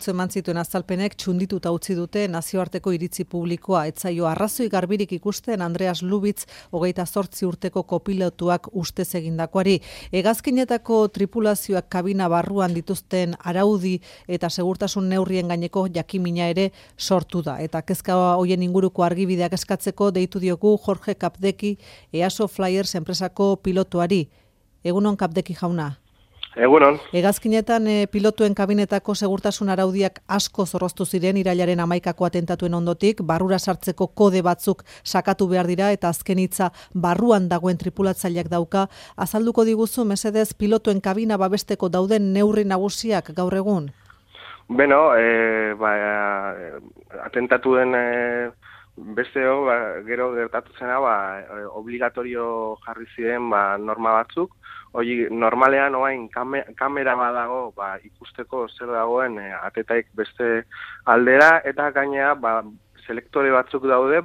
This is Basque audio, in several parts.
atzo eman zituen azalpenek txundituta utzi dute nazioarteko iritzi publikoa. Ez zaio arrazoi garbirik ikusten Andreas Lubitz 28 urteko kopilotuak ustez egindakoari. Hegazkinetako tripulazioak kabina barruan dituzten araudi eta segurtasun neurrien gaineko jakimina ere sortu da. Eta kezka hoien inguruko argibideak eskatzeko deitu diogu Jorge Kapdeki, EASO Flyers enpresako pilotuari. Egunon Kapdeki jauna. Egunon. Hegazkinetan pilotuen kabinetako segurtasun araudiak asko zorroztu ziren irailaren 11ko atentatuen ondotik, barrura sartzeko kode batzuk sakatu behar dira eta azken hitza barruan dagoen tripulatzaileak dauka. Azalduko diguzu mesedez pilotuen kabina babesteko dauden neurri nagusiak gaur egun? Beno, atentatuen besteo, gero gertatu zena, obligatorio jarri ziren norma batzuk. Hori, normalean oain kamera badago ikusteko zer dagoen atetaik beste aldera, eta gainea selektore batzuk daude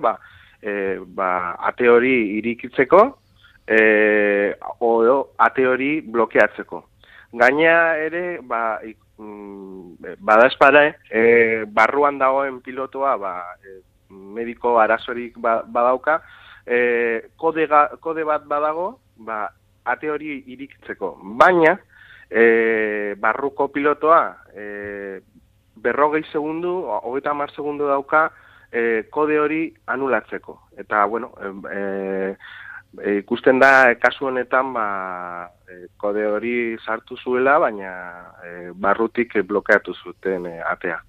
ate hori irikitzeko edo ate hori blokeatzeko. Gainea ere badaezpada barruan dagoen pilotoa mediko arazorik badauka, kode bat badago ate hori irikitzeko. Baina, barruko pilotoa 40 segundu, 30 segundu dauka kode hori anulatzeko. Eta, bueno, ikusten da kasu honetan kode hori sartu zuela, baina barrutik blokeatu zuten atea.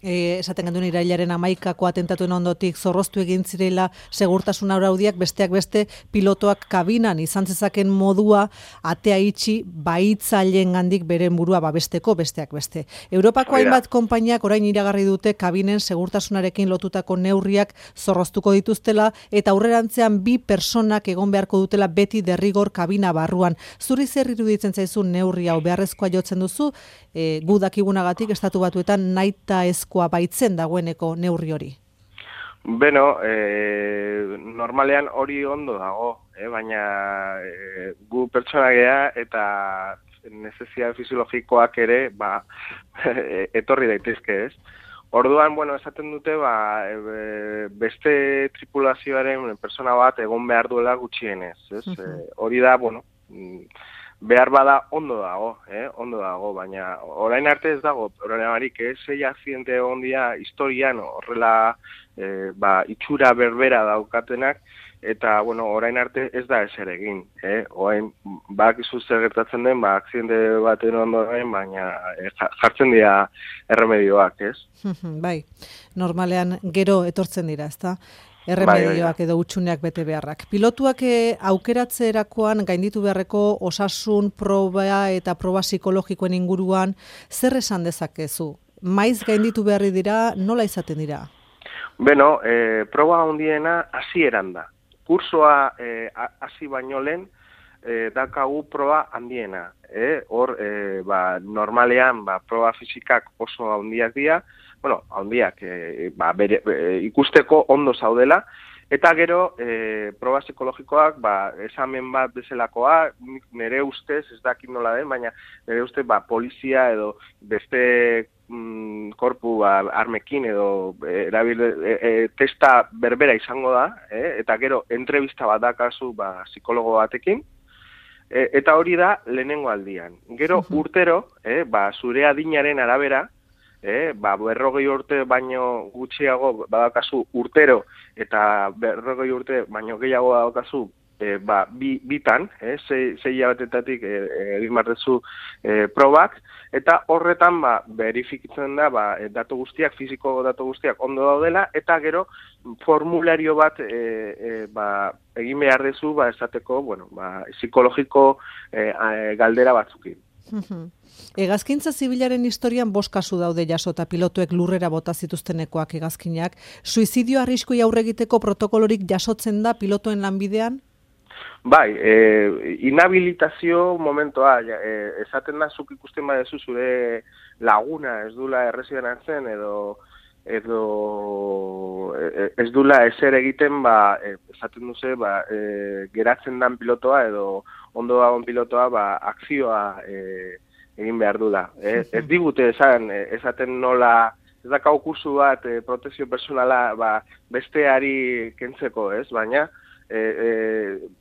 Esaten genduen irailaren 11ko atentatuen ondotik zorroztu egin zirela segurtasun araudiak, besteak beste pilotoak kabinan izan zezaken modua atea itxi bahitzailengandik beren burua babesteko, besteak beste. Europako hainbat konpainiak orain iragarri dute kabinen segurtasunarekin lotutako neurriak zorroztuko dituztela eta aurrerantzean 2 personak egon beharko dutela beti derrigor kabina barruan. Zuri zer iruditzen zaizu neurri hau beharrezkoa jotzen duzu? Gu dakigunagatik Estatu Batuetan nahitaezkoa baitzen dagoeneko neurri hori. Beno, normalean hori ondo dago, baina gu pertsona gea eta necesidade fisiologikoak ere etorri daitezke, ez? Orduan, esaten dute beste tripulazioaren persona bat egon behar duela gutxienez, ez? Hori da, behar bada ondo dago, baina orain arte ez dago problemarik, 6 akzidente egon dira historian horrela itxura berbera daukatenak, eta orain arte ez da ezer egin. Orain badakizu zer gertatzen den, akzidente baten ondoren, baina jartzen dira erremedioak, ez? Bai, normalean gero etortzen dira, ezta? Erremedioak edo hutsuneak bete beharrak. Pilotuak aukeratzerakoan gainditu beharreko osasun proba eta proba psikologikoen inguruan zer esan dezakezu? Maiz gainditu beharri dira, nola izaten dira? Beno, proba handiena hasieran da. Kursoa hasi baino lehen daukagu proba handiena. Hor, normalean proba fisikak oso handiak dira, handiak, ikusteko ondo zaudela, eta gero proba psikologikoak, esamen bat bezalakoa, nire ustez, ez dakit nola den, baina nire ustez polizia edo beste korpu armekin edo testa berbera izango da, eta gero entrevista bat dakazu psikologo batekin, eta hori da lehenengo aldian. Gero urtero, zure adinaren arabera, 40 urte baino gutxiago badakazu urtero eta 40 urte baino gehiago badakazu bitan, 6 hilabetetatik egin barrezu probak, eta horretan verifikatzen da datu guztiak, fiziko datu guztiak ondo daudela, eta gero formulario bat egin behar dezu esateko, psikologiko galdera batzukin. Hegazkintza zibilaren historian 5 kasu daude jasota pilotuek lurrera bota zituztenekoak hegazkinak. Suizidio arriskui aurre egiteko protokolorik jasotzen da pilotuen lanbidean? Bai, inhabilitazio momentoa, esaten da zuk ikusten badezu zure laguna ez dula errezidan hartzen edo ez dula ezer egiten, esaten duze, geratzen dan pilotoa edo ondo dagoen pilotoa akzioa egin behar dula. Ez digute esaten nola, ez dakau kursu bat protezio personala besteari kentzeko, ez? Baina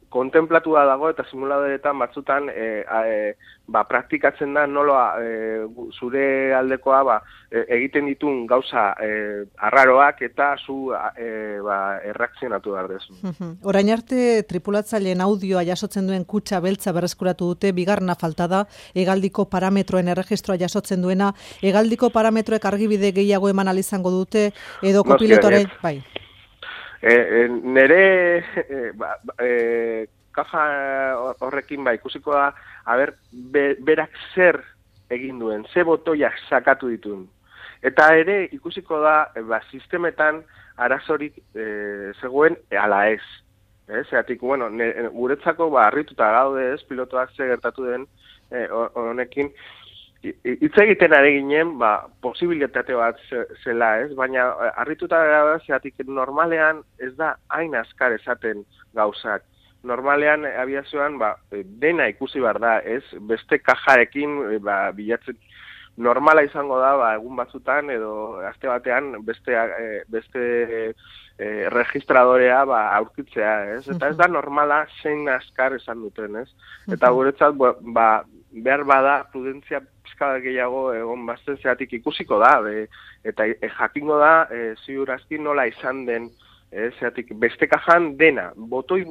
kontemplatua dago eta simuladoretan batzutan praktikatzen da nola zure aldekoa egiten ditun gauza arraroak eta zu erreakzionatu behar dezu. Orain arte tripulatzaileen audioa jasotzen duen kutxa beltza berreskuratu dute, bigarrena falta da, hegaldiko parametroen erregistroa jasotzen duena, hegaldiko parametroek argibide gehiago eman izango dute, edo kopilotoren, bai. Nere kaja horrekin ikusiko da, berak zer egin duen, ze botoiak sakatu dituen. Eta ere ikusiko da, sistemetan arazorik zegoen ala ez. Zeratik, guretzako harrituta gaude ez, pilotoak ze gertatu den honekin, hitz egiten ari ginen, posibilitate bat zela ez, baina harrituta gara zeratik normalean ez da hain azkar esaten gauzak. Normalean abiazioan dena ikusi behar da, ez, beste kajarekin bilatzen. Normala izango da, egun batzutan edo aste batean beste registradorea aurkitzea, ez? Eta ez da normala zein azkar esan duten, ez? Eta guretzat, behar bada prudentzia pizkada gehiago egon bazten zeratik ikusiko da, eta jakingo da ziurazki nola izan den, zeratik beste kajan dena, botoi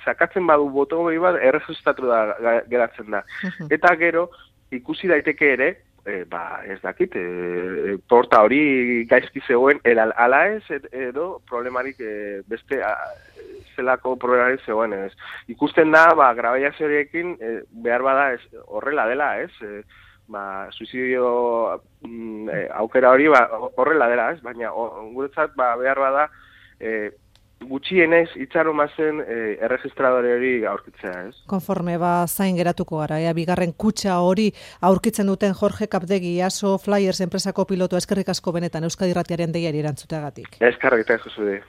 sakatzen badu botoi bat erregistratu da geratzen da. Eta gero ikusi daiteke ere, ez dakit, porta hori gaizki zegoen ala ez edo problemarik beste zelako problemarik zegoen ez. Ikusten da, grabaiazioekin behar bada horrela dela ez, suizidio aukera hori horrela dela ez, baina guretzat behar bada gutxienez itxaron bazen erregistradore hori aurkitzea, ez? Konforme zain geratuko gara, bigarren kutxa hori aurkitzen duten Jorge Kapdegi, ASO Flyers enpresako piloto, eskerrik asko benetan Euskadi Irratiaren deiari erantzuteagatik. Eskerrik asko zure.